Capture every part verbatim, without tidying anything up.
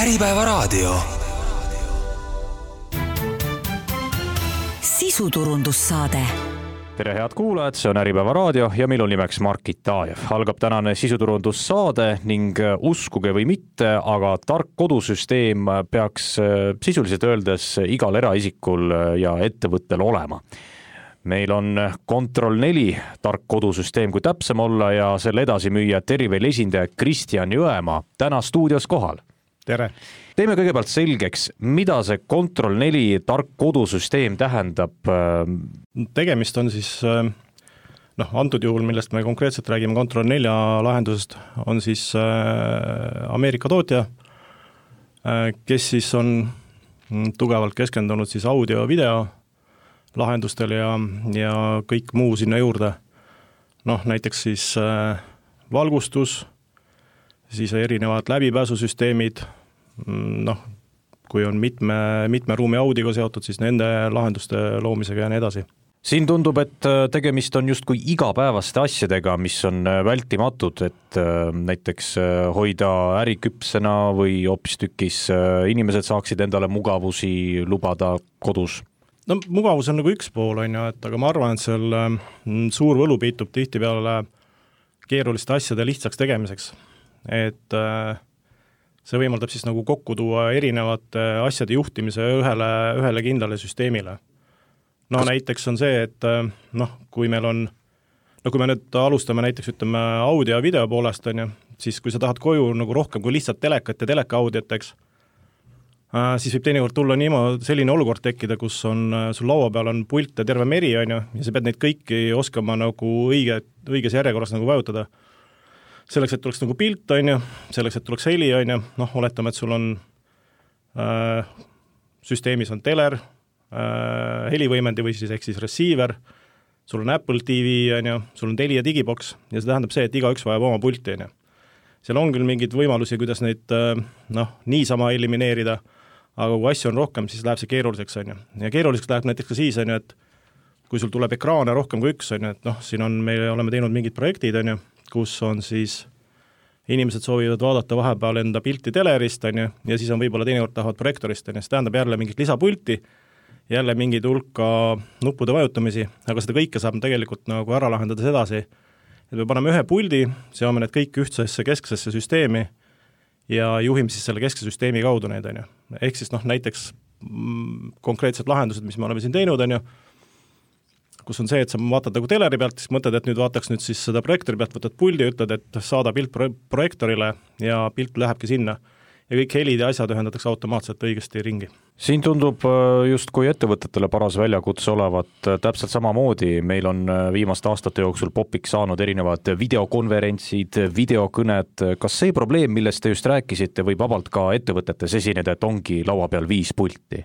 Äripäevaraadio. Sisuturundussaade. Tere head kuulajad, see on Äripäevaraadio ja meil on nimeks Mark Itajev. Algab tänane sisuturundussaade ning uskuge või mitte, aga tark kodusüsteem peaks sisuliselt öeldes igal eraisikul ja ettevõttel olema. Meil on Control neli tark kodusüsteem, kui täpsem olla, ja selle edasimüüja Terivel esindaja Kristjan Jõemaa täna stuudios kohal. Tere! Teeme kõigepealt selgeks, mida see Control neli tark kodusüsteem tähendab? Tegemist on siis, noh, antud juhul, millest me konkreetselt räägime Control nelja lahendusest, on siis Ameerika tootja, kes siis on tugevalt keskendunud siis audio, video lahendustel ja, ja kõik muu sinna juurde. Noh, näiteks siis valgustus, siis erinevad läbipääsusüsteemid, noh, kui on mitme, mitme ruumi audiga seotud, siis nende lahenduste loomisega ja nii edasi. Siin tundub, et tegemist on justkui igapäevaste asjadega, mis on vältimatud, et näiteks hoida äri küpsena või hoopistükkis inimesed saaksid endale mugavusi lubada kodus. No mugavus on nagu üks pool, on ju, et aga ma arvan, et seal suur võlu peitub tihtipeale keeruliste asjade lihtsaks tegemiseks. Et see võimaldab siis nagu kokku tuua erinevate asjade juhtimise ühele, ühele kindlale süsteemile. No Kas... näiteks on see, et noh, kui meil on, no kui me nüüd alustame näiteks ütleme audio ja video poolest, on ju, siis kui sa tahad koju nagu rohkem kui lihtsalt telekat ja teleka audioteks, siis võib teinekord tulla niimoodi selline olukord tekkida, kus on, sul laua peal on pult ja terve meri, on ju, ja sa pead neid kõiki oskama nagu õige, õiges järjekorras nagu vajutada. Selleks, et tuleks nagu pilt, on ju, selleks, et tuleks heli, on ju, noh, oletame, et sul on äh, süsteemis on teler, äh, helivõimendi või siis ehk siis receiver, sul on Apple T V, on ju, sul on Telia digibox ja see tähendab see, et igaüks vajab oma pulti, on ju. Seal on küll mingeid võimalusi, kuidas neid noh, niisama elimineerida, aga kui asju on rohkem, siis läheb see keeruliseks, on ju. Ja keeruliseks läheb näiteks ka siis, on ju, et kui sul tuleb ekraane rohkem kui üks, on ju, et noh, siin on, me oleme teinud mingid projektid, on ju, kus on siis inimesed soovivad vaadata vahepeal enda pilti telerist, on ju, ja siis on võib-olla teinekord tahavad projektorist, on ju, see tähendab jälle mingit lisapulti, jälle mingid hulka nuppude vajutamisi, aga seda kõike saab tegelikult nagu ära lahendada sedasi, et me paneme ühe puldi, seome need kõik ühtsesse kesksesse süsteemi ja juhime siis selle keskse süsteemi kaudu neid, on ju. Ehk siis noh, näiteks mm, konkreetsed lahendused, mis me oleme siin teinud, on ju, kus on see, et sa vaatad nagu teleri pealt, siis mõtled, et nüüd vaataks nüüd siis seda projektori pealt, võtad puldi ja ütled, et saada pilt pro- projektorile ja pilt lähebki sinna. Ja kõik helid ja asjad ühendatakse automaatselt õigesti ringi. Siin tundub justkui ettevõtetele paras väljakutse olevat täpselt samamoodi. Meil on viimaste aastate jooksul popiks saanud erinevad videokonverentsid, videokõned. Kas see probleem, millest te just rääkisite, võib vabalt ka ettevõtetes esineda, et ongi laua peal viis pulti?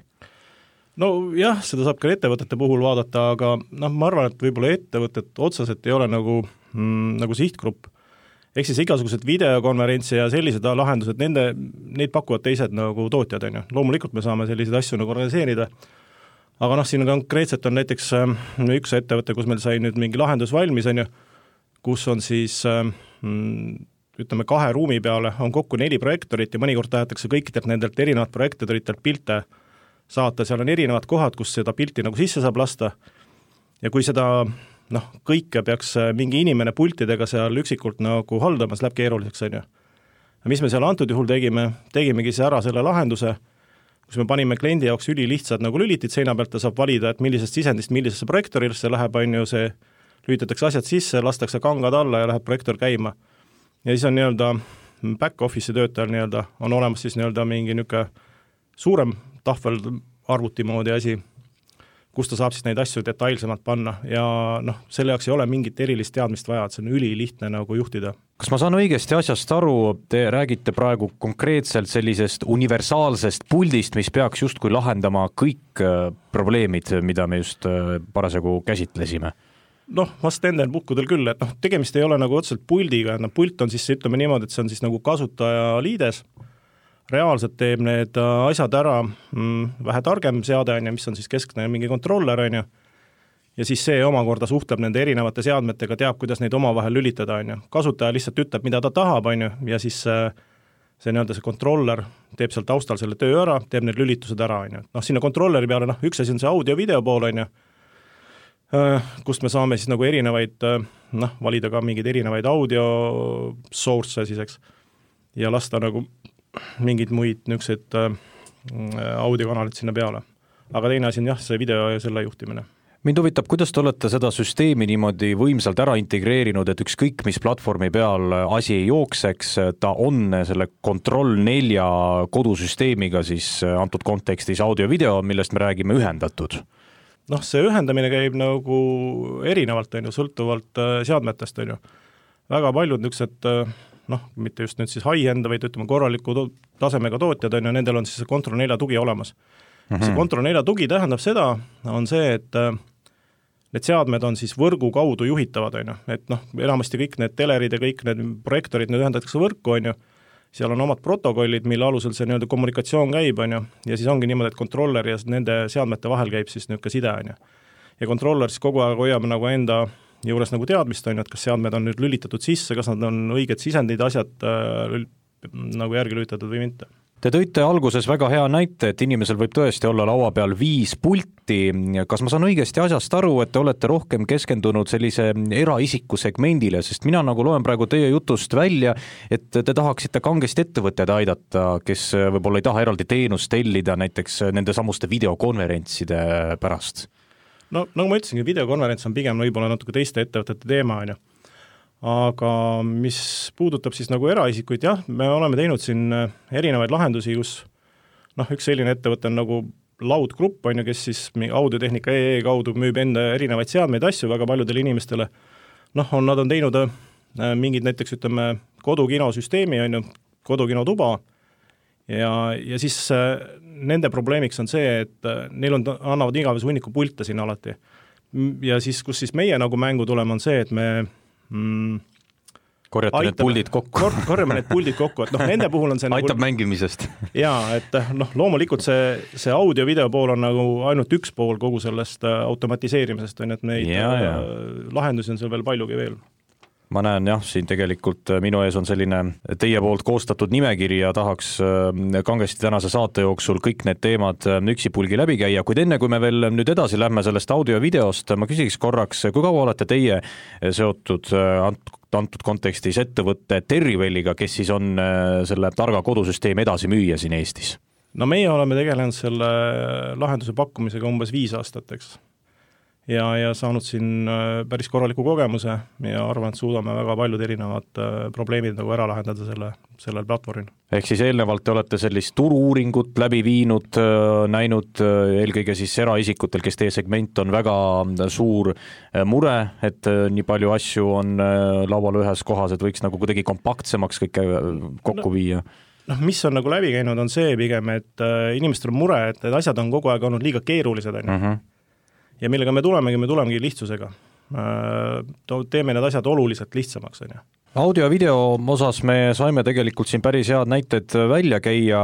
No jah, seda saab ka ettevõtete puhul vaadata, aga noh, ma arvan, et võib-olla ettevõtted otseselt ei ole nagu, mm, nagu sihtgrupp. Ehk siis igasugused videokonverentsi ja sellised lahendused, nende, neid pakuvad teised nagu tootjad, on ju. Loomulikult me saame selliseid asju nagu organiseerida, aga noh, siin konkreetselt on näiteks üks ettevõte, kus meil sai nüüd mingi lahendus valmis, on ju, kus on siis, ütleme, kahe ruumi peale on kokku neli projektorit ja mõnikord tahetakse kõikidelt nendelt erinevat projektoritelt pilte saata, seal on erinevad kohad, kus seda pilti nagu sisse saab lasta ja kui seda noh, kõike peaks mingi inimene pultidega seal üksikult nagu haldamas, läheb keeruliseks, on ju. Ja mis me seal antud juhul tegime, tegimegi see ära selle lahenduse, kus me panime kliendi jaoks ülilihtsad nagu lülitid seina pealt, ta saab valida, et millisest sisendist, millisesse projektorilisse läheb, on ju, see lülitatakse asjad sisse, lastakse kangad alla ja läheb projektor käima. Ja siis on nii-öelda back-office'i töötajal nii-öelda, on olemas siis nii-öelda mingi niisugune suurem tahvel arvuti moodi asi, kus ta saab siis neid asju detailsemalt panna ja noh, selle jaoks ei ole mingit erilist teadmist vaja, et see on ülilihtne nagu juhtida. Kas ma saan õigesti asjast aru, te räägite praegu konkreetselt sellisest universaalsest puldist, mis peaks justkui lahendama kõik probleemid, mida me just parasjagu käsitlesime? Noh, vast endel puhkudel küll, et noh, tegemist ei ole nagu otseselt puldiga, et noh, pult on siis, ütleme niimoodi, et see on siis nagu kasutaja liides, reaalselt teeb need asjad ära mm, vähe targem seade, on ju, mis on siis keskne mingi kontroller, on ju, ja siis see omakorda suhtleb nende erinevate seadmetega, teab, kuidas neid omavahel lülitada, on ju. Kasutaja lihtsalt ütleb, mida ta tahab, on ju, ja siis see nii-öelda see kontroller teeb seal taustal selle töö ära, teeb need lülitused ära, on ju. Noh, sinna kontrolleri peale, noh, üks asi on see audio-video pool, on ju, kust me saame siis nagu erinevaid, noh, valida ka mingeid erinevaid audio source siis, eks, ja lasta nagu mingid muid niisugused audiokanalid sinna peale. Aga teine asi on jah, see video ja selle juhtimine. Mind huvitab, kuidas te olete seda süsteemi niimoodi võimsalt ära integreerinud, et ükskõik mis platvormi peal asi ei jookseks, ta on selle Control nelja kodusüsteemiga siis antud kontekstis audio-video, millest me räägime, ühendatud? Noh, see ühendamine käib nagu erinevalt, on ju, sõltuvalt seadmetest, on ju. Väga paljud niisugused, noh, mitte just nüüd siis high-end, vaid ütleme korraliku to- tasemega tootjad, on ju, nendel on siis see Control nelja tugi olemas. Mm-hmm. See Control nelja tugi tähendab seda, on see, et need seadmed on siis võrgu kaudu juhitavad, on ju, et noh, enamasti kõik need telerid ja kõik need projektorid, need ühendatakse võrku, on ju, seal on omad protokollid, mille alusel see nii-öelda kommunikatsioon käib, on ju, ja siis ongi niimoodi, et kontroller ja nende seadmete vahel käib siis niisugune side, on ju. Ja kontroller siis kogu aeg hoiab nagu enda juures nagu teadmist, on ju, et kas seadmed on nüüd lülitatud sisse, kas nad on õiged sisendid, asjad äh, nagu järgi lülitatud või mitte. Te tõite alguses väga hea näite, et inimesel võib tõesti olla laua peal viis pulti. Kas ma saan õigesti asjast aru, et te olete rohkem keskendunud sellise eraisiku segmendile, sest mina nagu loen praegu teie jutust välja, et te tahaksite kangesti ettevõtted aidata, kes võib-olla ei taha eraldi teenust tellida näiteks nende samuste videokonverentside pärast? No nagu ma ütlesingi, videokonverents on pigem võib-olla natuke teiste ettevõtete teema, on ju. Aga mis puudutab siis nagu eraisikuid, jah, me oleme teinud siin erinevaid lahendusi, kus noh, üks selline ettevõte on nagu Loud Group, on ju, kes siis audiotehnika E E kaudu müüb enda erinevaid seadmeid asju väga paljudele inimestele. Noh, on, nad on teinud mingid näiteks, ütleme, kodukinosüsteemi, on ju, kodukinotuba ja, ja siis nende probleemiks on see, et neil on, annavad igavese hunniku pilte siin alati. Ja siis, kus siis meie nagu mängu tuleme, on see, et me Mm, korjate need puldid kokku. Kor, korjame need puldid kokku, et noh, nende puhul on see aitab nagu, mängimisest. Jaa, et noh, loomulikult see, see audio-video pool on nagu ainult üks pool kogu sellest automatiseerimisest, on, et neid ja, ja. lahendusi on seal veel paljugi veel. Ma näen jah, siin tegelikult minu ees on selline teie poolt koostatud nimekiri ja tahaks kangesti tänase saate jooksul kõik need teemad üksipulgi läbi käia, kuid enne kui me veel nüüd edasi lähme sellest audio ja videost, ma küsiks korraks, kui kaua olete teie seotud antud kontekstis ettevõtte Terrivelliga, kes siis on selle targa kodusüsteemi edasi müüja siin Eestis? No meie oleme tegelenud selle lahenduse pakkumisega umbes viis aastat, eks. Ja, ja saanud siin päris korraliku kogemuse ja arvan, et suudame väga paljud erinevad probleemid nagu ära lahendada selle, sellel platvormil. Ehk siis eelnevalt te olete sellist turu-uuringut läbi viinud, näinud eelkõige siis eraisikutel, kes teie segment on väga suur mure, et nii palju asju on laual ühes kohas, et võiks nagu kuidagi kompaktsemaks kõike kokku no. viia. Noh, mis on nagu läbi käinud, on see pigem, et inimestel on mure, et need asjad on kogu aeg olnud liiga keerulised, on ju. Uh-huh. Ja millega me tulemegi, me tulemegi lihtsusega. Teeme need asjad oluliselt lihtsamaks. On ju. Audio ja video osas me saime tegelikult siin päris head näited välja käia.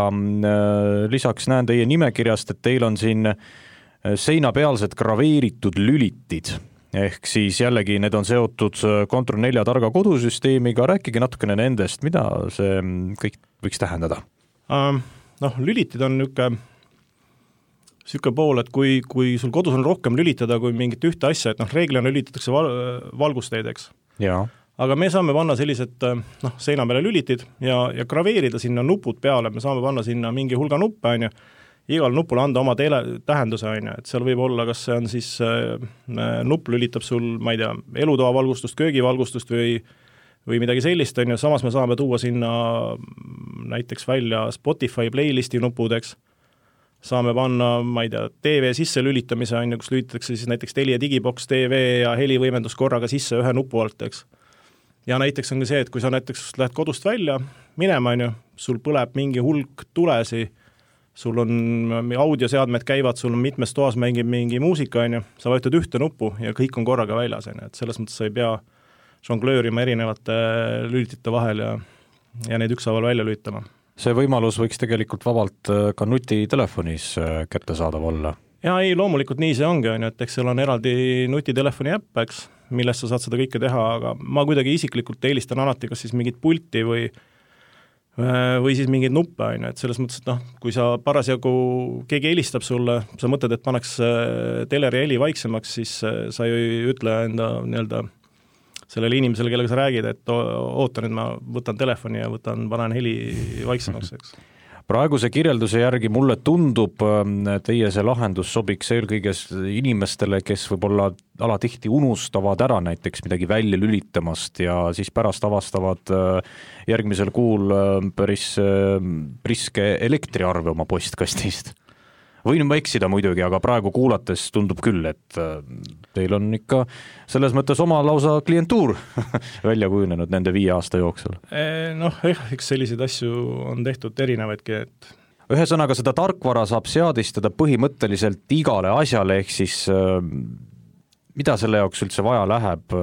Lisaks näen teie nimekirjast, et teil on siin seinapealsed graveeritud lülitid. Ehk siis jällegi need on seotud Control nelja targa kodusüsteemiga. Rääkige natukene nendest, mida see kõik võiks tähendada? Um, noh, lülitid on niisugune Sükka pool, et kui, kui sul kodus on rohkem lülitada kui mingit ühte asja, et noh, reeglina lülitatakse val, valgusteedeks. Ja. Aga me saame panna sellised noh, seina peale lülitid ja, ja graveerida sinna nupud peale, me saame panna sinna mingi hulga nuppe, on ju, igal nupul anda oma teele, tähenduse, on ju, et seal võib olla, kas see on siis äh, nupp lülitab sul, ma ei tea, elutoa valgustust, köögivalgustust või, või midagi sellist, on ju, samas me saame tuua sinna näiteks välja Spotify playlisti nupudeks, saame panna, ma ei tea, T V sisse lülitamise, on ju, kus lülitatakse siis näiteks Telia digibox T V ja helivõimendus korraga sisse ühe nupu alt, eks. Ja näiteks on ka see, et kui sa näiteks lähed kodust välja minema, on ju, sul põleb mingi hulk tulesi, sul on audioseadmed käivad, sul on mitmes toas mängib mingi muusika, on ju, sa vajutad ühte nuppu ja kõik on korraga väljas, on ju, et selles mõttes sa ei pea žonglöörima erinevate lülitite vahel ja, ja neid ükshaaval välja lülitama. See võimalus võiks tegelikult vabalt ka nutitelefonis kättesaadav olla. Ja ei, loomulikult nii see ongi, on ju, et eks seal on eraldi nutitelefoni äpp, eks, millest sa saad seda kõike teha, aga ma kuidagi isiklikult eelistan alati kas siis mingit pulti või või siis mingeid nuppe, on ju, et selles mõttes, et noh, kui sa parasjagu, keegi helistab sulle, sa mõtled, et paneks teleri heli vaiksemaks, siis sa ju ei ütle enda nii-öelda sellele inimesele, kellega sa räägid, et oota nüüd, ma võtan telefoni ja võtan, panen heli vaiksemaks, eks. Praeguse kirjelduse järgi mulle tundub, teie see lahendus sobiks eelkõige inimestele, kes võib-olla alatihti unustavad ära näiteks midagi välja lülitamast ja siis pärast avastavad järgmisel kuul päris priske elektriarve oma postkastist. Võin ma eksida muidugi, aga praegu kuulates tundub küll, et teil on ikka selles mõttes oma lausa klientuur välja kujunenud nende viie aasta jooksul. Noh, eks selliseid asju on tehtud erinevaidki, et ühesõnaga seda tarkvara saab seadistada põhimõtteliselt igale asjale, ehk siis mida selle jaoks üldse vaja läheb,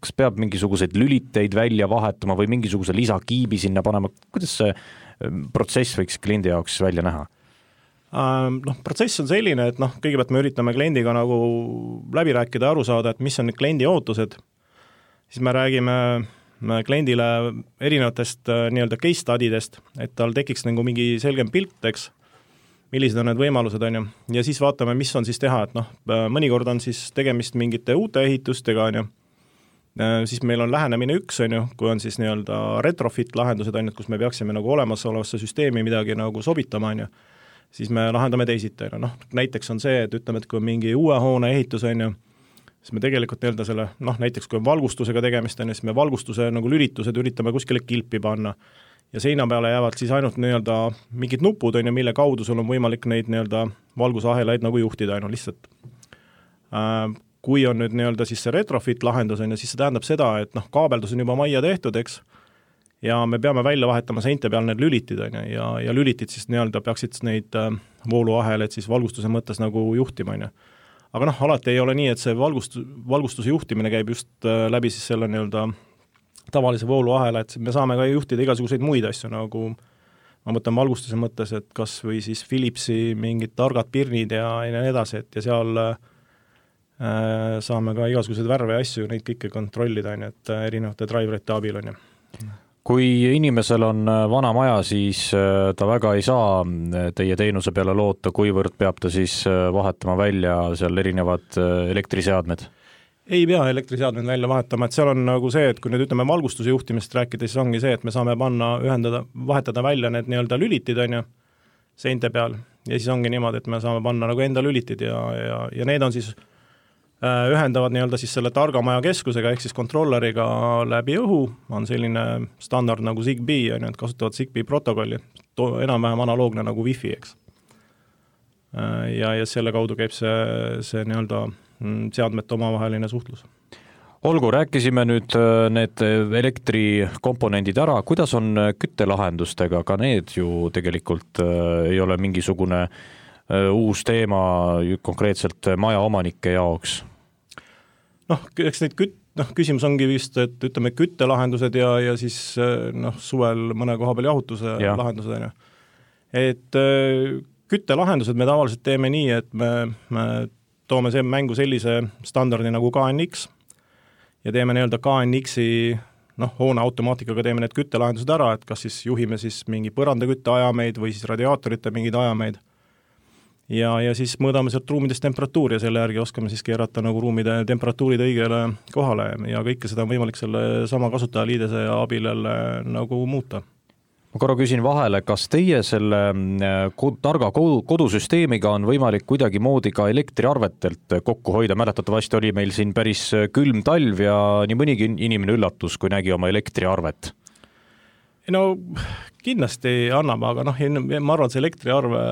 kas peab mingisuguseid lüliteid välja vahetama või mingisuguse lisakiibi sinna panema, kuidas see protsess võiks kliendi jaoks välja näha? Noh, protsess on selline, et noh, kõigepealt me üritame kliendiga nagu läbi rääkida ja aru saada, et mis on need kliendi ootused, siis me räägime kliendile erinevatest nii-öelda case studidest, et tal tekiks nagu mingi selgem pilt, eks, millised on need võimalused, on ju, ja siis vaatame, mis on siis teha, et noh, mõnikord on siis tegemist mingite uute ehitustega, on ju, siis meil on lähenemine üks, on ju, kui on siis nii-öelda retrofit lahendused, on ju, kus me peaksime nagu olemasolevasse süsteemi midagi nagu sobitama, on ju, siis me lahendame teisiti, noh, näiteks on see, et ütleme, et kui on mingi uue hoone ehitus, on ju, siis me tegelikult nii-öelda selle, noh, näiteks kui on valgustusega tegemist, on ju, siis me valgustuse nagu lülitused üritame kuskile kilpi panna ja seina peale jäävad siis ainult nii-öelda mingid nupud, on ju, mille kaudu sul on võimalik neid nii-öelda valgusahelaid nagu juhtida, on ju, lihtsalt. Kui on nüüd nii-öelda siis see retrofit lahendus, on ju, siis see tähendab seda, et noh, kaabeldus on juba majja tehtud, eks, ja me peame välja vahetama seinte peal need lülitid, on ju, ja, ja lülitid siis nii-öelda peaksid neid vooluaheleid siis valgustuse mõttes nagu juhtima, on ju. Aga noh, alati ei ole nii, et see valgust, valgustuse juhtimine käib just läbi siis selle nii-öelda tavalise vooluahela, et me saame ka juhtida igasuguseid muid asju, nagu ma mõtlen valgustuse mõttes, et kas või siis Philipsi mingid targad pirnid ja, ja nii edasi, et ja seal äh, saame ka igasuguseid värve ja asju, neid kõike kontrollida, on ju, et erinevate driverite abil, on ju. Kui inimesel on vana maja, siis ta väga ei saa teie teenuse peale loota, kuivõrd peab ta siis vahetama välja seal erinevad elektriseadmed? Ei pea elektriseadmed välja vahetama, et seal on nagu see, et kui nüüd ütleme valgustuse juhtimist rääkida, siis ongi see, et me saame panna, ühendada, vahetada välja need nii-öelda lülitid, on ju, seinte peal, ja siis ongi niimoodi, et me saame panna nagu enda lülitid ja, ja, ja need on siis ühendavad nii-öelda siis selle targamaja keskusega ehk siis kontrolleriga läbi õhu, on selline standard nagu Zigbee, on ju, et kasutavad Zigbee protokolli, enam-vähem analoogne nagu Wi-Fi, eks. Ja, ja selle kaudu käib see, see nii-öelda seadmete omavaheline suhtlus. Olgu, rääkisime nüüd need elektrikomponendid ära, kuidas on küttelahendustega, ka need ju tegelikult ei ole mingisugune uus teema konkreetselt maja omanike jaoks? Noh, eks neid küt-, noh, küsimus ongi vist, et ütleme küttelahendused ja, ja siis noh, suvel mõne koha peal jahutuse ja. lahendused, on ju. Et küttelahendused me tavaliselt teeme nii, et me, me toome see mängu sellise standardi nagu K N X ja teeme nii-öelda K N X-i noh, hoone automaatikaga teeme need küttelahendused ära, et kas siis juhime siis mingi põrandakütte ajameid või siis radiaatorite mingeid ajameid. Ja, ja siis mõõdame sealt ruumidest temperatuuri ja selle järgi oskame siis keerata nagu ruumide temperatuurid õigele kohale ja kõike seda on võimalik selle sama kasutajaliidese abil jälle nagu muuta. Ma korra küsin vahele, kas teie selle targa kodusüsteemiga on võimalik kuidagi moodi ka elektriarvetelt kokku hoida? Mäletatavasti oli meil siin päris külm talv ja nii mõnigi inimene üllatus, kui nägi oma elektriarvet. No kindlasti annab, aga noh, ma arvan, et see elektriarve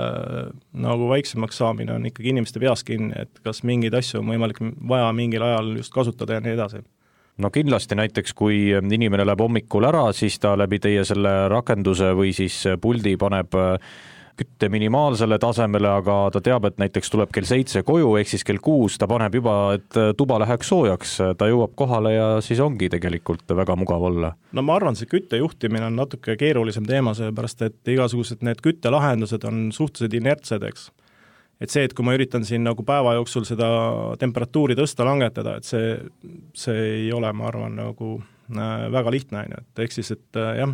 nagu vaiksemaks saamine on ikkagi inimeste peas kinni, et kas mingeid asju on võimalik vaja mingil ajal just kasutada ja nii edasi. No kindlasti näiteks, kui inimene läheb hommikul ära, siis ta läbi teie selle rakenduse või siis puldi paneb kütte minimaalsele tasemele, aga ta teab, et näiteks tuleb kell seitse koju, ehk siis kell kuus ta paneb juba, et tuba läheks soojaks, ta jõuab kohale ja siis ongi tegelikult väga mugav olla. No ma arvan, see küttejuhtimine on natuke keerulisem teema, sellepärast et igasugused need küttelahendused on suhteliselt inertsed, eks. Et see, et kui ma üritan siin nagu päeva jooksul seda temperatuuri tõsta langetada, et see, see ei ole, ma arvan, nagu väga lihtne, et ehk siis, et jah,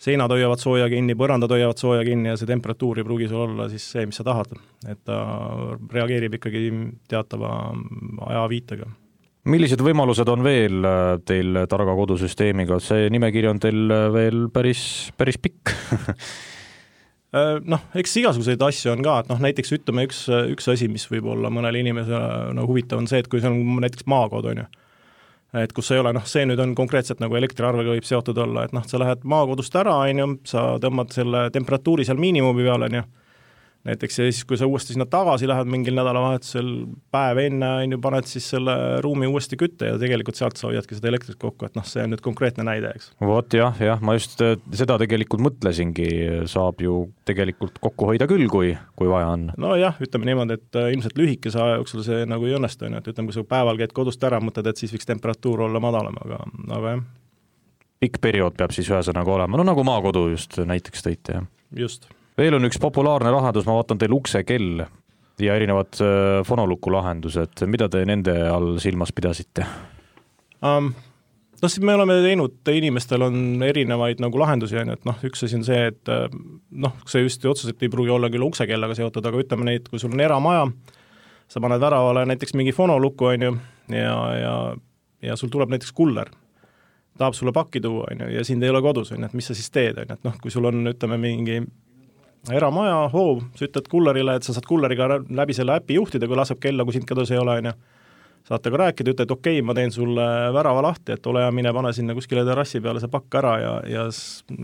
seinad hoiavad sooja kinni, põrandad hoiavad sooja kinni ja see temperatuur ei pruugi sul olla siis see, mis sa tahad. Et ta reageerib ikkagi teatava ajaviitega. Millised võimalused on veel teil targa kodusüsteemiga? See nimekiri on teil veel päris, päris pikk. Noh, eks igasuguseid asju on ka, et noh, näiteks ütleme üks, üks asi, mis võib olla mõnele inimesele no, huvitav on see, et kui see on näiteks maakod, on ju, et kus ei ole, noh, see nüüd on konkreetselt nagu elektriarvega võib seotud olla, et noh, sa lähed maakodust ära, on ju, sa tõmbad selle temperatuuri seal miinimumi peale, on ju, näiteks ja siis, kui sa uuesti sinna tagasi lähed mingil nädalavahetusel päev enne, on ju, paned siis selle ruumi uuesti kütte ja tegelikult sealt sa hoiadki seda elektrit kokku, et noh, see on nüüd konkreetne näide, eks. Vot jah, jah, ma just seda tegelikult mõtlesingi, saab ju tegelikult kokku hoida küll, kui, kui vaja on. No jah, ütleme niimoodi, et ilmselt lühikese aja jooksul see nagu ei õnnestu, et ütleme, kui sa päeval käid kodust ära, mõtled, et siis võiks temperatuur olla madalam, aga, aga jah. Pikk periood peab siis ühesõnaga olema, no nagu maakodu just näiteks tõite, jah. Just. Veel on üks populaarne lahendus, ma vaatan teil uksekell ja erinevad fonoluku lahendused. Mida te nende all silmas pidasite? Um, no siis me oleme teinud, inimestel on erinevaid nagu lahendusi, et noh, üks asi on see, et noh, see just otseselt ei pruugi olla küll uksekellaga seotud, aga ütleme neid, kui sul on eramaja, sa paned väravale näiteks mingi fonoluku, on ju, ja, ja, ja sul tuleb näiteks kuller, tahab sulle pakki tuua, on ju, ja sind ei ole kodus, on ju, et mis sa siis teed, on ju, et noh, kui sul on, ütleme, mingi eramaja, hoov, sa ütled kullerile, et sa saad kulleriga läbi selle äpi juhtida, kui laseb kella, kui sind kodus ei ole, on ju. Saate ka rääkida, ütled, okei, okay, ma teen sulle värava lahti, et ole ja mine pane sinna kuskile terrassi peale see pakk ära ja, ja,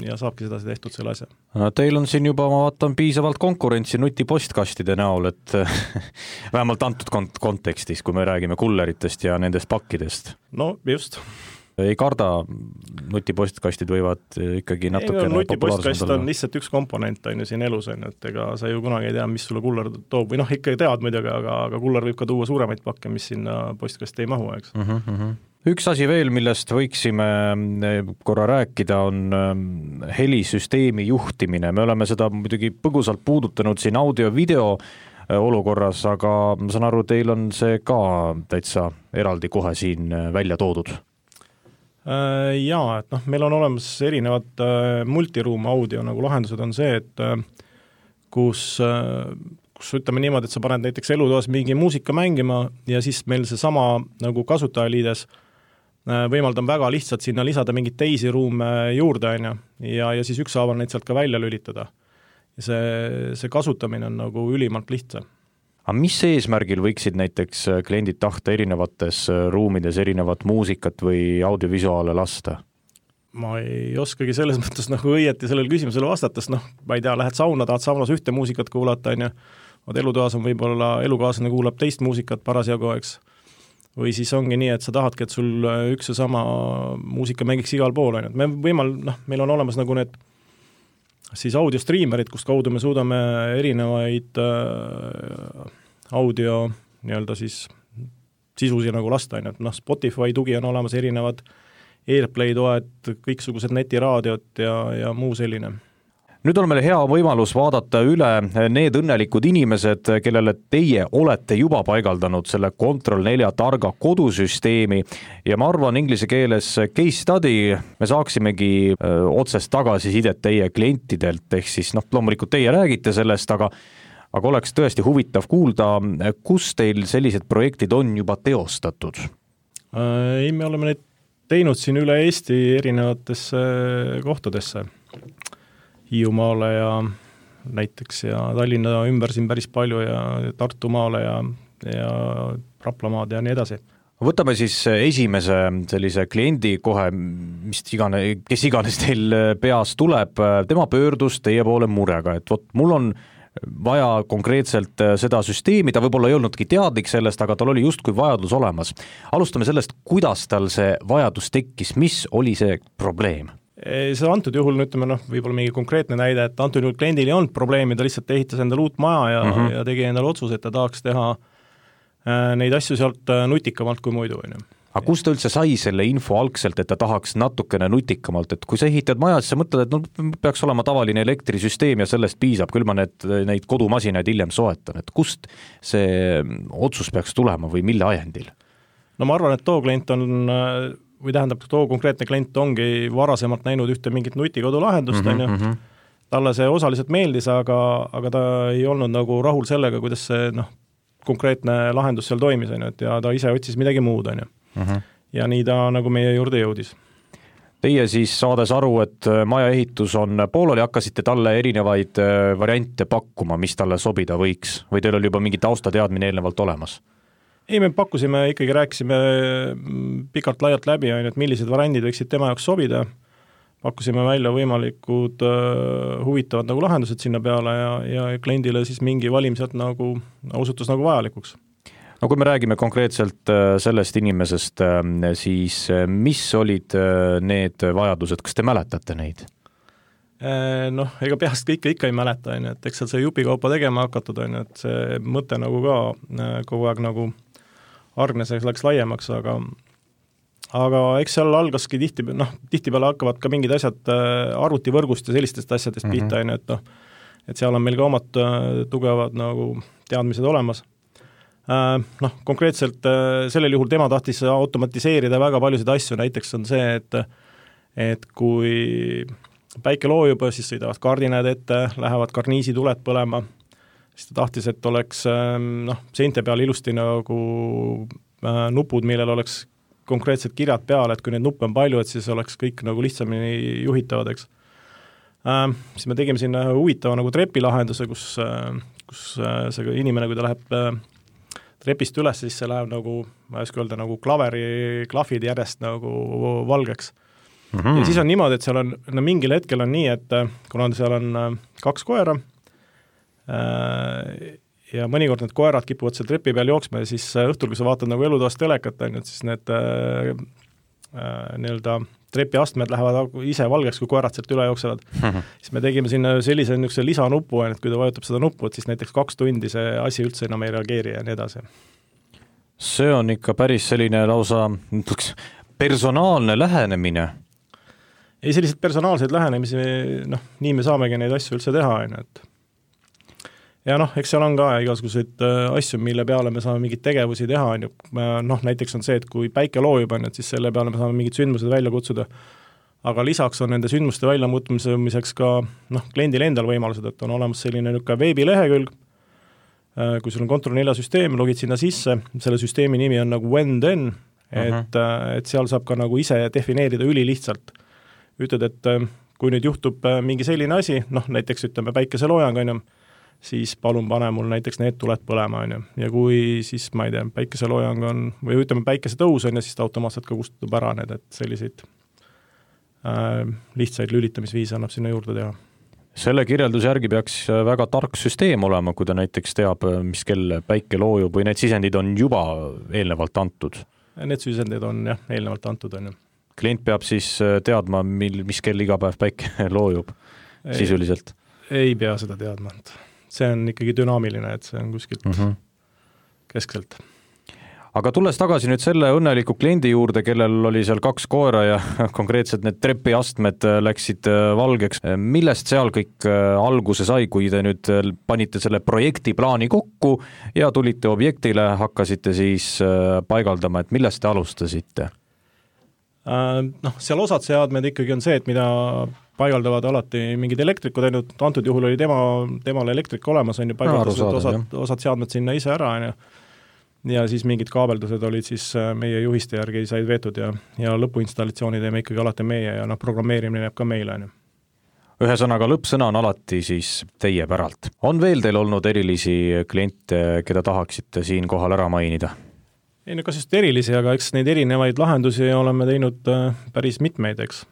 ja saabki seda tehtud selle asja. No, teil on siin juba, ma vaatan, piisavalt konkurentsi nutipostkastide näol, et vähemalt antud kont- kontekstis, kui me räägime kulleritest ja nendest pakkidest. No just. Ei karda, nutipostkastid võivad ikkagi natukene no, nutipostkast on lihtsalt üks komponent on ju siin elus, on, et ega sa ju kunagi ei tea, mis sulle kuller toob, või noh, ikka tead muidugi, aga, aga kuller võib ka tuua suuremaid pakke, mis sinna postkasti ei mahu, eks. Uh -huh. Üks asi veel, millest võiksime korra rääkida, on helisüsteemi juhtimine. Me oleme seda muidugi põgusalt puudutanud siin audio-video olukorras, aga ma saan aru, teil on see ka täitsa eraldi kohe siin välja toodud. Jaa, et noh, meil on olemas erinevad multiruum audio nagu lahendused on see, et kus, kus ütleme niimoodi, et sa paned näiteks elutoas mingi muusika mängima ja siis meil see sama nagu kasutajaliides võimaldab väga lihtsalt sinna lisada mingid teisi ruume juurde, on ju, ja, ja siis ükshaaval neid sealt ka välja lülitada. Ja see, see kasutamine on nagu ülimalt lihtsa. Aga mis eesmärgil võiksid näiteks kliendid tahta erinevates ruumides erinevat muusikat või audiovisuaale lasta? Ma ei oskagi selles mõttes nagu õieti sellele küsimusele vastates, noh, ma ei tea, lähed sauna, tahad saunas ühte muusikat kuulata, on ju, vaid elutoas on võib-olla elukaaslane kuulab teist muusikat parasjagu, eks. Või siis ongi nii, et sa tahadki, et sul üks ja sama muusika mängiks igal pool, on ju. Me võimal, noh, meil on olemas nagu need siis audiostriimerid, kust kaudu me suudame erinevaid äh, audio nii-öelda siis sisusi nagu lasta, et noh, Spotify tugi on olemas erinevad Airplay toed, kõiksugused netiraadiot ja, ja muu selline. Nüüd on meil hea võimalus vaadata üle need õnnelikud inimesed, kellele teie olete juba paigaldanud selle Control neli targa kodusüsteemi ja ma arvan inglise keeles case study, me saaksimegi öö, otsest tagasisidet teie klientidelt, ehk siis noh, loomulikult teie räägite sellest, aga aga oleks tõesti huvitav kuulda, kus teil sellised projektid on juba teostatud? Ei, me oleme neid teinud siin üle Eesti erinevatesse kohtadesse. Hiiumaale ja näiteks ja Tallinna ümber siin päris palju ja Tartumaale ja, ja Raplamaad ja nii edasi. Võtame siis esimese sellise kliendi kohe, mis igane, kes iganes teil peas tuleb, tema pöördus teie poole murega, et vot mul on vaja konkreetselt seda süsteemi, ta võib-olla ei olnudki teadlik sellest, aga tal oli justkui vajadus olemas. Alustame sellest, kuidas tal see vajadus tekkis, mis oli see probleem? See antud juhul, ütleme, noh, võib-olla mingi konkreetne näide, et antud juhul kliendil ei olnud probleemi, ta lihtsalt ehitas endale uut maja ja, mm-hmm. ja tegi endale otsuse, et ta tahaks teha neid asju sealt nutikamalt kui muidu. Aga kust ta üldse sai selle info algselt, et ta tahaks natukene nutikamalt, et kui sa ehitad maja, siis sa mõtled, et no, peaks olema tavaline elektrisüsteem ja sellest piisab, küll ma need, neid kodumasinaid hiljem soetan, et kust see otsus peaks tulema või mille ajendil? No ma arvan, et too klient on või tähendab, too konkreetne klient ongi varasemalt näinud ühte mingit nutikodulahendust, mm -hmm, on ju, talle see osaliselt meeldis, aga, aga ta ei olnud nagu rahul sellega, kuidas see noh, konkreetne lahendus seal toimis, on ju, et ja ta ise otsis midagi muud, on ju. Ja nii ta nagu meie juurde jõudis. Teie siis saades aru, et maja ehitus on pooleli, hakkasite talle erinevaid variante pakkuma, mis talle sobida võiks, või teil oli juba mingi taustateadmine eelnevalt olemas? Ei, me pakkusime, ikkagi rääkisime pikalt laialt läbi, on ju, et millised variandid võiksid tema jaoks sobida, pakkusime välja võimalikud uh, huvitavad nagu lahendused sinna peale ja, ja kliendile siis mingi valim sealt nagu osutus nagu vajalikuks. No kui me räägime konkreetselt sellest inimesest, siis mis olid need vajadused, kas te mäletate neid? Noh, ega peast kõike ikka ei mäleta, on ju, et eks seal see jupikaupa tegema hakatud, on ju, et see mõte nagu ka kogu aeg nagu argneseks läks laiemaks, aga aga eks seal algaski tihti, noh, tihtipeale hakkavad ka mingid asjad arvutivõrgust ja sellistest asjadest mm -hmm. pihta, on ju, et noh, et seal on meil ka omad tugevad nagu teadmised olemas. Noh, konkreetselt sellel juhul tema tahtis automatiseerida väga paljusid asju, näiteks on see, et et kui päike loojub, siis sõidavad kardinad ette, lähevad karniisituled põlema, siis ta tahtis, et oleks noh, seinte peal ilusti nagu nupud, millel oleks konkreetsed kirjad peale, et kui neid nuppe on palju, et siis oleks kõik nagu lihtsamini juhitavad, eks. Äh, siis me tegime sinna huvitava nagu trepilahenduse, kus, kus see inimene, kui ta läheb trepist üles, siis see läheb nagu, ma ei oska öelda, nagu klaveri klahvid järjest nagu valgeks. Mm -hmm. Ja siis on niimoodi, et seal on, no mingil hetkel on nii, et kuna seal on kaks koera äh, ja mõnikord need koerad kipuvad seal trepi peal jooksma ja siis õhtul, kui sa vaatad nagu elutoast telekat, on ju, et siis need äh, äh, nii-öelda trepiastmed lähevad ise valgeks, kui koerad sealt üle jooksevad. Mm-hmm. Siis me tegime sinna sellise niisuguse lisanupu, et kui ta vajutab seda nuppu, et siis näiteks kaks tundi see asi üldse enam ei reageeri ja nii edasi. See on ikka päris selline lausa personaalne lähenemine. Ei, sellised personaalseid lähenemisi, noh, nii me saamegi neid asju üldse teha, on ju, et ja noh, eks seal on ka igasuguseid asju, mille peale me saame mingeid tegevusi teha, on ju, noh, näiteks on see, et kui päike loojub, on ju, et siis selle peale me saame mingid sündmused välja kutsuda, aga lisaks on nende sündmuste väljamutmiseks ka, noh, kliendil endal võimalused, et on olemas selline niisugune veebilehekülg, kui sul on Control neli süsteem, logid sinna sisse, selle süsteemi nimi on nagu when then, et, uh-huh. et seal saab ka nagu ise defineerida ülilihtsalt. Ütled, et kui nüüd juhtub mingi selline asi, noh, näiteks ütleme päikeseloojang, on ju, siis palun pane mul näiteks need tuled põlema, on ju. Ja kui siis, ma ei tea, päikeseloojang on, või ütleme päikesetõus on ja siis ta automaatselt ka kustutub ära need, et selliseid äh, lihtsaid lülitamisviise annab sinna juurde teha. Selle kirjelduse järgi peaks väga tark süsteem olema, kui ta näiteks teab, mis kell päike loojub või need sisendid on juba eelnevalt antud. Need sisendid on jah, eelnevalt antud, on ju. Klient peab siis teadma, mil, mis kell iga päev päike loojub ei, sisuliselt? Ei pea seda teadma, et see on ikkagi dünaamiline, et see on kuskilt mm -hmm. keskselt. Aga tulles tagasi nüüd selle õnneliku kliendi juurde, kellel oli seal kaks koera ja konkreetselt need trepiastmed läksid valgeks, millest seal kõik alguse sai, kui te nüüd panite selle projektiplaani kokku ja tulite objektile, hakkasite siis paigaldama, et millest te alustasite? Noh, seal osad seadmed ikkagi on see, et mida paigaldavad alati mingid elektrikud, ainult antud juhul oli tema, temal elektrik olemas, on ju, paigaldasid no, osad, osad seadmed sinna ise ära, on ju, ja siis mingid kaabeldused olid siis meie juhiste järgi said veetud ja, ja lõpuinstallatsiooni teeme ikkagi alati meie ja noh, programmeerimine jääb ka meile, on ju. Ühesõnaga, lõppsõna on alati siis teie päralt. On veel teil olnud erilisi kliente, keda tahaksite siin kohal ära mainida? Ei, no kas just erilisi, aga eks neid erinevaid lahendusi oleme teinud päris mitmeid, eks.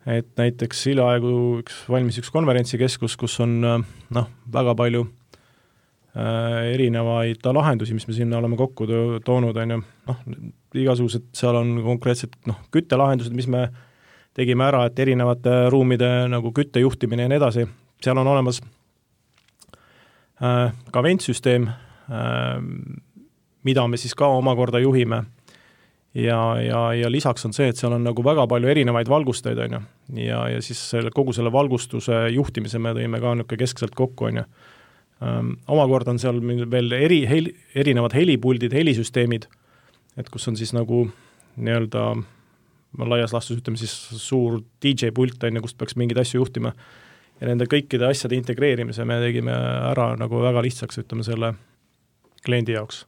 Et näiteks hiljaaegu üks valmis üks konverentsikeskus, kus on noh, väga palju äh, erinevaid lahendusi, mis me sinna oleme kokku toonud, on ju, noh, igasugused, seal on konkreetselt noh, küttelahendused, mis me tegime ära, et erinevate ruumide nagu küttejuhtimine ja nii edasi, seal on olemas äh, ka ventsüsteem, äh, mida me siis ka omakorda juhime. Ja, ja, ja lisaks on see, et seal on nagu väga palju erinevaid valgusteid, on ju. Ja, ja siis selle, kogu selle valgustuse juhtimise me tõime ka niisugune keskselt kokku, on ju. Um, omakorda on seal veel eri, heli, erinevad helipuldid, helisüsteemid, et kus on siis nagu nii-öelda laias laastus ütleme siis suur D J pult on ju, kust peaks mingeid asju juhtima ja nende kõikide asjade integreerimise me tegime ära nagu väga lihtsaks, ütleme selle kliendi jaoks.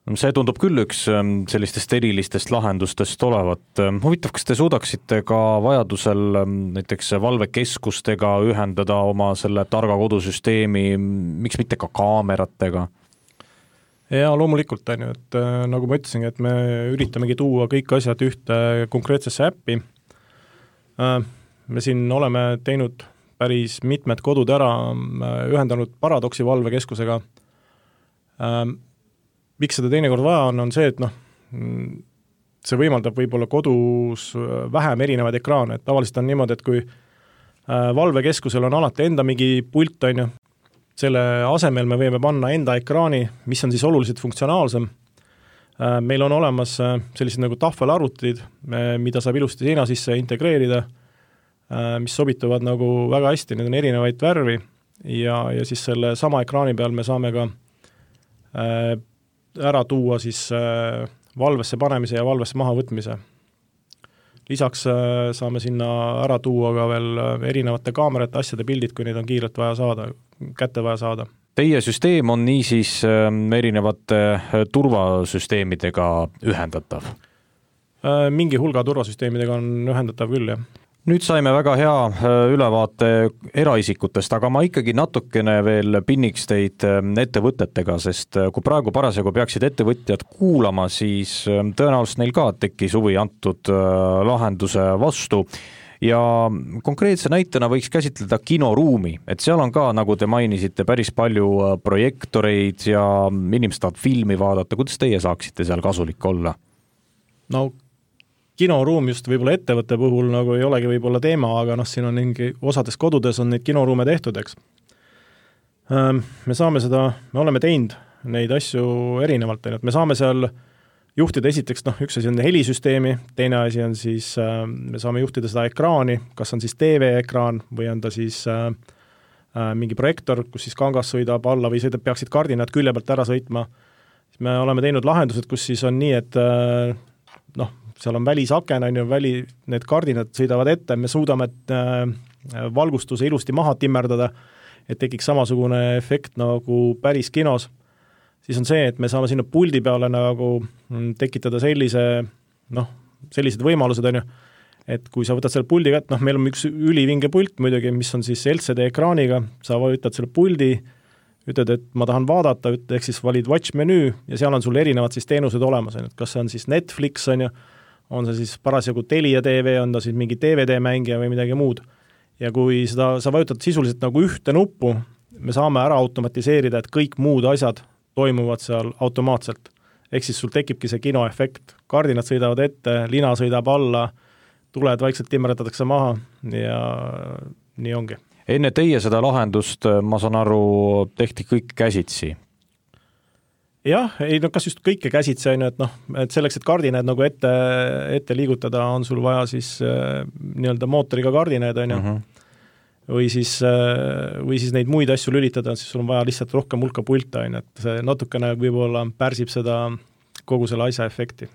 See tundub küll üks sellistest erilistest lahendustest olevat. Huvitav, kas te suudaksite ka vajadusel näiteks valvekeskustega ühendada oma selle targa kodusüsteemi, miks mitte ka kaameratega? Ja loomulikult on ju, et nagu ma ütlesin, et me üritamegi tuua kõik asjad ühte konkreetsesse äppi. Me siin oleme teinud päris mitmed kodud ära, ühendanud Paradoxi valvekeskusega. Miks seda teinekord vaja on, on see, et noh, see võimaldab võib-olla kodus vähem erinevaid ekraane, et tavaliselt on niimoodi, et kui valvekeskusel on alati enda mingi pult, on ju, selle asemel me võime panna enda ekraani, mis on siis oluliselt funktsionaalsem. Meil on olemas sellised nagu tahvelarvutid, mida saab ilusti seina sisse integreerida, mis sobituvad nagu väga hästi, need on erinevaid värvi ja, ja siis selle sama ekraani peal me saame ka ära tuua siis valvesse panemise ja valvesse maha võtmise. Lisaks saame sinna ära tuua ka veel erinevate kaamerate asjade pildid, kui neid on kiirelt vaja saada, kätte vaja saada. Teie süsteem on niisiis erinevate turvasüsteemidega ühendatav? Mingi hulga turvasüsteemidega on ühendatav küll, jah. Nüüd saime väga hea ülevaate eraisikutest, aga ma ikkagi natukene veel pinniks teid ettevõtetega, sest kui praegu parasjagu peaksid ettevõtjad kuulama, siis tõenäoliselt neil ka tekkis huvi antud lahenduse vastu. Ja konkreetse näitena võiks käsitleda kinoruumi, et seal on ka, nagu te mainisite, päris palju projektoreid ja inimesed tahavad filmi vaadata. Kuidas teie saaksite seal kasulik olla? No kinoruum just võib-olla ettevõtte puhul nagu ei olegi võib-olla teema, aga noh, siin on mingi osades kodudes on neid kinoruume tehtud, eks. Me saame seda, me oleme teinud neid asju erinevalt, me saame seal juhtida esiteks, noh, üks asi on helisüsteemi, teine asi on siis, me saame juhtida seda ekraani, kas on siis T V-ekraan või on ta siis äh, mingi projektor, kus siis kangas sõidab alla või sõidab, peaksid kardinad külje pealt ära sõitma. Me oleme teinud lahendused, kus siis on nii, et äh, noh, seal on välisaken, on ju, väli, need kardinad sõidavad ette, me suudame äh, valgustuse ilusti maha timmerdada, et tekiks samasugune efekt nagu päris kinos. Siis on see, et me saame sinna puldi peale nagu tekitada sellise, noh, sellised võimalused, on ju, et kui sa võtad selle puldi kätt, noh, meil on üks ülivinge pult muidugi, mis on siis L C D ekraaniga, sa võtad selle puldi, ütled, et ma tahan vaadata, ehk siis valid watch menüü ja seal on sul erinevad siis teenused olemas, on, et kas see on siis Netflix, on ju, on see siis parasjagu Telia T V, on ta siis mingi D V D-mängija või midagi muud. Ja kui seda, sa vajutad sisuliselt nagu ühte nuppu, me saame ära automatiseerida, et kõik muud asjad toimuvad seal automaatselt. Ehk siis sul tekibki see kinoefekt. Kardinad sõidavad ette, lina sõidab alla, tuled vaikselt timmerdatakse maha ja nii ongi. Enne teie seda lahendust, ma saan aru, tehti kõik käsitsi. Jah, ei, no kas just kõike käsitsi, et, noh, et selleks, et kardinad nagu ette, ette liigutada, on sul vaja siis äh, nii-öelda mootoriga kardinad, on ju. Uh-huh. Või siis, äh, või siis neid muid asju lülitada, siis sul on vaja lihtsalt rohkem hulka pulta, on, et see natukene võib-olla pärsib seda kogu selle asja efekti.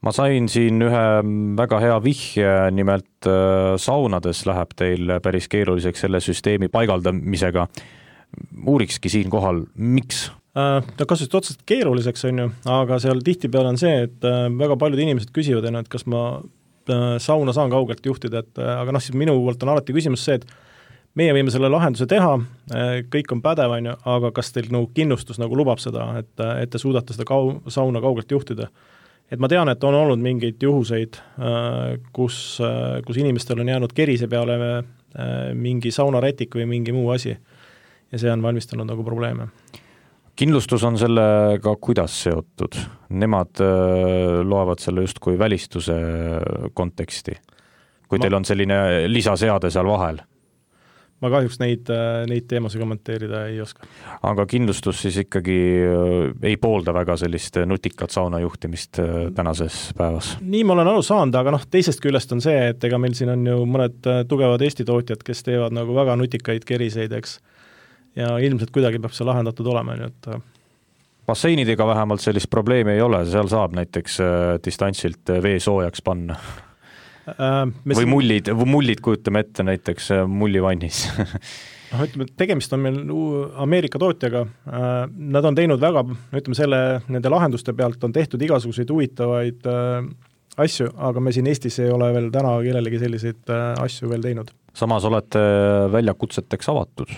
Ma sain siin ühe väga hea vihje, nimelt äh, saunades läheb teil päris keeruliseks selle süsteemi paigaldamisega. Uurikski siin kohal, miks? Ta kasvast otseselt keeruliseks on ju, aga seal tihtipeale on see, et väga paljud inimesed küsivad, et kas ma sauna saan kaugelt juhtida, et aga noh, siis minu poolt on alati küsimus see, et meie võime selle lahenduse teha, kõik on pädev, on ju, aga kas teil nagu kindlustus nagu lubab seda, et, et te suudate seda kau, sauna kaugelt juhtida. Et ma tean, et on olnud mingeid juhuseid, kus, kus inimestel on jäänud kerise peale mingi saunarätik või mingi muu asi ja see on valmistanud nagu probleeme. Kindlustus on sellega kuidas seotud? Nemad loevad selle just kui välistuse konteksti, kui ma, teil on selline lisaseade seal vahel? Ma kahjuks neid, neid teemasid kommenteerida ei oska. Aga kindlustus siis ikkagi ei poolda väga sellist nutikat sauna juhtimist tänases päevas? Nii ma olen aru saanud, aga noh, teisest küljest on see, et ega meil siin on ju mõned tugevad Eesti tootjad, kes teevad nagu väga nutikaid keriseid, eks. Ja ilmselt kuidagi peab see lahendatud olema. Et... Basseinidega vähemalt sellist probleemi ei ole, seal saab näiteks distantsilt vee soojaks panna. või siin... mullid, mullid kujutame ette näiteks mullivannis noh, ütleme, tegemist on meil Ameerika tootjaga, nad on teinud väga, ütleme selle, nende lahenduste pealt on tehtud igasuguseid huvitavaid asju, aga me siin Eestis ei ole veel täna kellelegi selliseid asju veel teinud. Samas olete väljakutseteks avatud?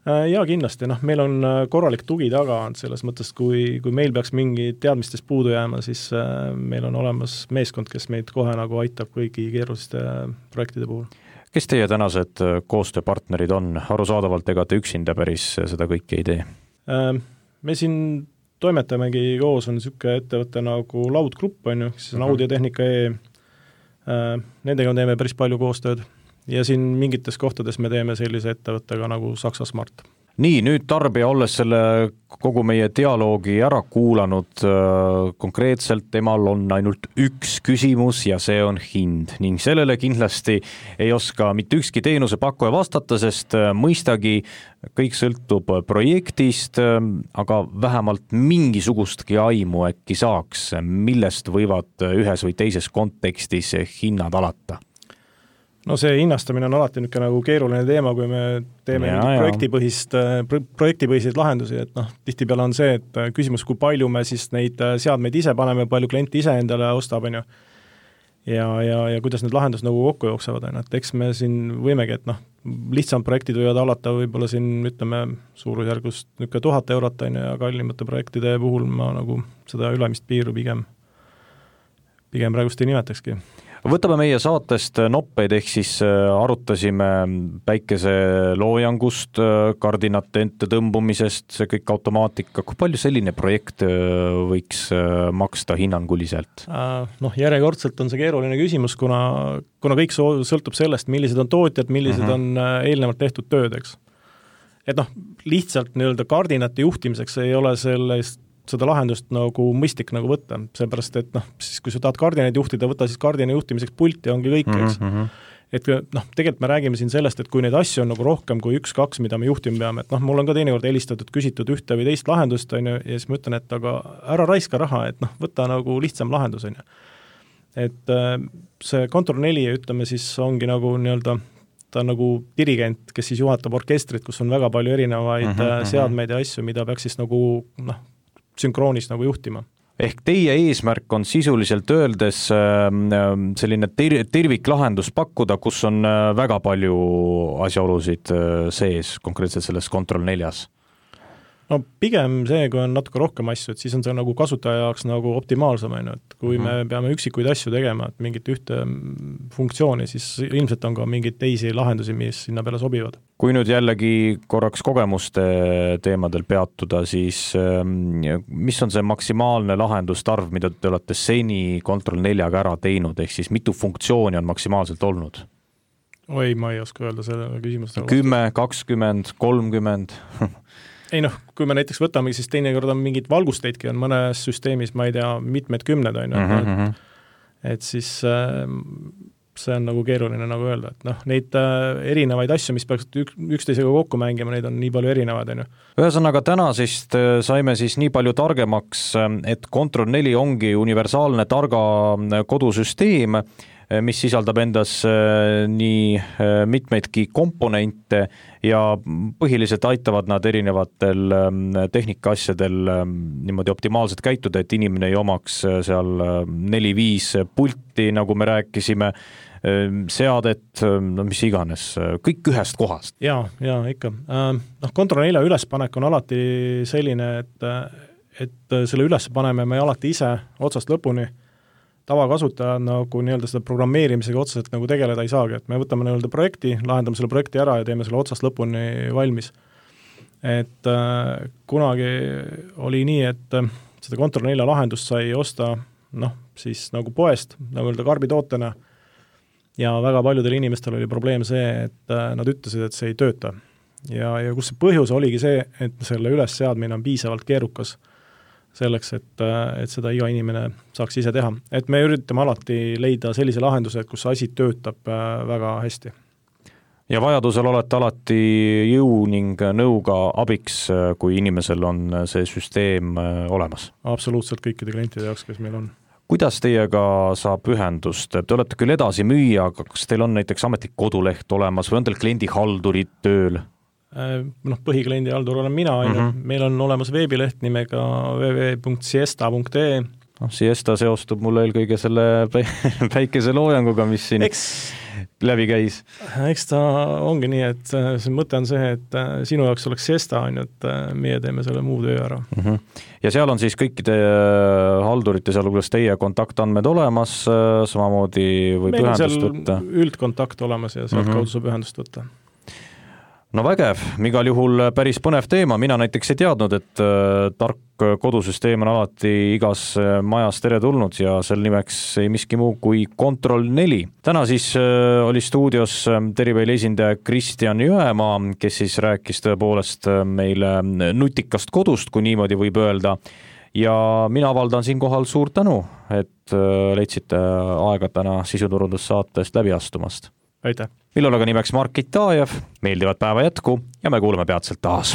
Jaa, kindlasti, noh, meil on korralik tugi taga selles mõttes, kui, kui meil peaks mingi teadmistest puudu jääma, siis meil on olemas meeskond, kes meid kohe nagu aitab kõigi keeruliste projektide puhul. Kes teie tänased koostööpartnerid on? Arusaadavalt ega te üksinda päris seda kõike ei tee? Me siin toimetamegi koos, on niisugune ettevõte nagu Laudgrupp, on ju, siis on Audiotehnika E. Nendega teeme päris palju koostööd. Ja siin mingites kohtades me teeme sellise ettevõttega nagu Saksa Smart. Nii, nüüd tarbija olles selle kogu meie dialoogi ära kuulanud, konkreetselt temal on ainult üks küsimus ja see on hind ning sellele kindlasti ei oska mitte ükski teenuse pakkuja vastata, sest mõistagi kõik sõltub projektist, aga vähemalt mingisugustki aimu äkki saaks, millest võivad ühes või teises kontekstis hinnad alata. No see hinnastamine on alati niisugune nagu keeruline teema, kui me teeme ja, projektipõhist, projektipõhiseid lahendusi, et noh, tihtipeale on see, et küsimus, kui palju me siis neid seadmeid ise paneme, palju klient ise endale ostab, on ju, ja, ja, ja kuidas need lahendused nagu kokku jooksevad, on ju, et eks me siin võimegi, et noh, lihtsam projektid võivad alata võib-olla siin, ütleme, suurusjärgust niisugune tuhat eurot, on ju, ja kallimate projektide puhul ma nagu seda ülemist piiru pigem, pigem praegust ei nimetakski. Võtame meie saatest noppeid, ehk siis arutasime päikese loojangust, kardinate ente tõmbumisest, see kõik automaatika. Kui palju selline projekt võiks maksta hinnanguliselt? Noh, järjekordselt on see keeruline küsimus, kuna, kuna kõik sõltub sellest, millised on tootjad, millised mm-hmm. on eelnevalt tehtud tööd, eks. Et noh, lihtsalt nii-öelda kardinate juhtimiseks ei ole sellest seda lahendust nagu mõistlik nagu võtta, seepärast, et noh, siis kui sa tahad kardinaid juhtida, võta siis kardina juhtimiseks pulti, ongi kõik, eks. Mm-hmm. Et noh, tegelikult me räägime siin sellest, et kui neid asju on nagu rohkem kui üks, kaks, mida me juhtima peame, et noh, mul on ka teinekord helistatud, küsitud ühte või teist lahendust, on ju, ja siis ma ütlen, et aga ära raiska raha, et noh, võta nagu lihtsam lahendus, on ju. Et see Control neli, ütleme siis, ongi nagu nii-öelda, ta on nagu dirigent, kes siis juhatab orkestrit, kus on väga palju erinevaid mm-hmm. seadmeid ja asju, mida peaks siis nagu noh, sünkroonis nagu juhtima. Ehk teie eesmärk on sisuliselt öeldes selline ter- terviklahendus pakkuda, kus on väga palju asjaolusid sees, konkreetselt selles Control neljas? No pigem see, kui on natuke rohkem asju, et siis on see nagu kasutaja jaoks nagu optimaalsem, et kui mm-hmm. me peame üksikuid asju tegema, et mingit ühte funktsiooni, siis ilmselt on ka mingeid teisi lahendusi, mis sinna peale sobivad. Kui nüüd jällegi korraks kogemuste teemadel peatuda, siis mis on see maksimaalne lahendustarv, mida te olete seni Control neljaga ära teinud, ehk siis mitu funktsiooni on maksimaalselt olnud? Oi, ma ei oska öelda selle küsimust. kümme, kakskümmend, kolmkümmend Ei noh, kui me näiteks võtame, siis teinekord on mingid valgusteidki on mõnes süsteemis, ma ei tea, mitmed kümned on ju, mm-hmm. et, et siis äh, see on nagu keeruline nagu öelda, et noh, neid äh, erinevaid asju, mis peaks ük, üksteisega kokku mängima, neid on nii palju erinevaid, on ju. Ühesõnaga täna siis saime siis nii palju targemaks, et Control neli ongi universaalne targa kodusüsteem, mis sisaldab endas nii mitmeidki komponente ja põhiliselt aitavad nad erinevatel tehnikaasjadel niimoodi optimaalselt käituda, et inimene ei omaks seal neli-viis pulti, nagu me rääkisime, seadet, no mis iganes, kõik ühest kohast. Jaa, jaa, ikka. Noh, Control nelja ülespanek on alati selline, et, et selle üles paneme me alati ise otsast lõpuni. Tavakasutaja nagu nii-öelda seda programmeerimisega otseselt nagu tegeleda ei saagi, et me võtame nii-öelda projekti, lahendame selle projekti ära ja teeme selle otsast lõpuni valmis. Et äh, kunagi oli nii, et äh, seda Control nelja lahendust sai osta noh, siis nagu poest, nagu öelda karbitootena ja väga paljudel inimestel oli probleem see, et äh, nad ütlesid, et see ei tööta. Ja, ja kus see põhjus oligi see, et selle ülesseadmine on piisavalt keerukas selleks, et, et seda iga inimene saaks ise teha. Et me üritame alati leida sellise lahenduse, et kus asi töötab väga hästi. Ja vajadusel olete alati jõu ning nõuga abiks, kui inimesel on see süsteem olemas? Absoluutselt kõikide klientide jaoks, kes meil on. kuidas teiega saab ühendust? Te olete küll edasi müüa, aga kas teil on näiteks ametlik koduleht olemas või on teil kliendihaldurid tööl? Noh, põhikliendi haldur olen mina, mm -hmm. meil on olemas veebileht nimega double-u double-u double-u punkt siesta punkt e e. No, Siesta seostub mulle eelkõige selle päikese loojanguga, mis siin eks, läbi käis. Eks ta ongi nii, et see mõte on see, et sinu jaoks oleks siesta, on ju, et meie teeme selle muu töö ära. Mm -hmm. Ja seal on siis kõikide haldurite, sealhulgas teie kontaktandmed olemas, samamoodi võib meil ühendust võtta? Üldkontakt olemas ja sealt mm -hmm. kaudu saab ühendust võtta. No vägev, igal juhul päris põnev teema, mina näiteks ei teadnud, et tark kodusüsteem on alati igas majas teretulnud ja sel nimeks ei miski muu kui Control neli. Täna siis oli stuudios Teriveili esindaja Kristjan Jõemaa, kes siis rääkis tõepoolest meile nutikast kodust, kui niimoodi võib öelda. Ja mina avaldan siinkohal suurt tänu, et leidsite aega täna sisuturundussaatest läbi astumast. Aitäh! Millal aga nimeks Mark Itajev, meeldivat päeva jätku ja me kuuleme peatselt taas.